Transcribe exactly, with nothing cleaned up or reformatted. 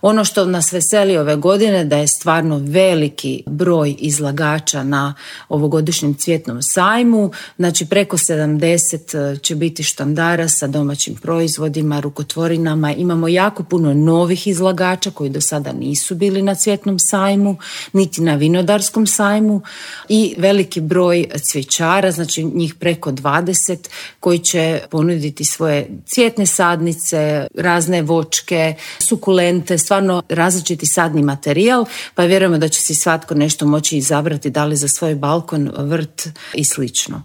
Ono što nas veseli ove godine da je stvarno veliki broj izlagača na ovogodišnjem cvjetnom sajmu, znači preko sedamdeset će biti štandara sa domaćim proizvodima, rukotvorinama. Imamo jako puno novih izlagača koji do sada nisu bili na cvjetnom sajmu, niti na vinodarskom sajmu i veliki broj cvjećara, znači njih preko dvadeset koji će ponuditi svoje cvjetne sadnice, razne voćke, sukulente, stvarno različiti sadni materijal, pa vjerujemo da će si svatko nešto moći izabrati da li za svoj balkon, vrt i slično.